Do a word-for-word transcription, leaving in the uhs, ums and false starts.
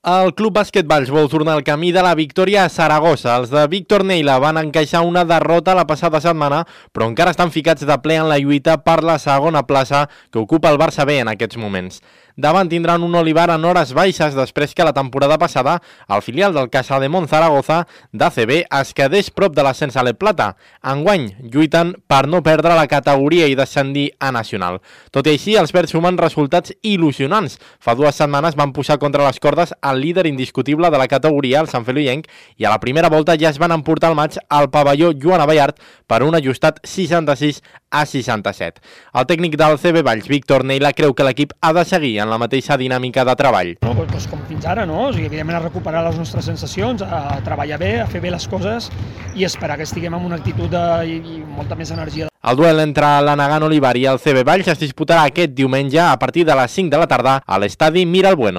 El Club Bàsquet Valls vol tornar al camí de la victòria a Saragossa. Els de Víctor Neila van encaixar una derrota la passada setmana, però encara estan ficats de ple en la lluita per la segona plaça que ocupa el Barça B en aquests moments. Davant tindran un Olivar en hores baixes després que la temporada passada el filial del Casademont Zaragoza d'A C B es quedés prop de l'ascens a l'E Plata. Enguany lluiten per no perdre la categoria i descendir a Nacional. Tot i així, els verds sumen resultats il·lusionants. Fa dues setmanes van posar contra les cordes el líder indiscutible de la categoria, el Sant Feloienc, i a la primera volta ja es van emportar el maig al pavelló Joan Abellart per un ajustat seixanta-sis a seixanta-set. El tècnic del C B Valls, Víctor Neila, creu que l'equip ha de seguir en la mateixa dinàmica de treball. No, doncs com fins ara, no? O sigui, evidentment a recuperar les nostres sensacions, a treballar bé, a fer bé les coses i esperar que estiguem amb una actitud de, i, i molta més energia. El duel entre l'Anagan Olivar i el C B Valls es disputarà aquest diumenge a partir de les cinc de la tarda a l'estadi Mira el Bueno.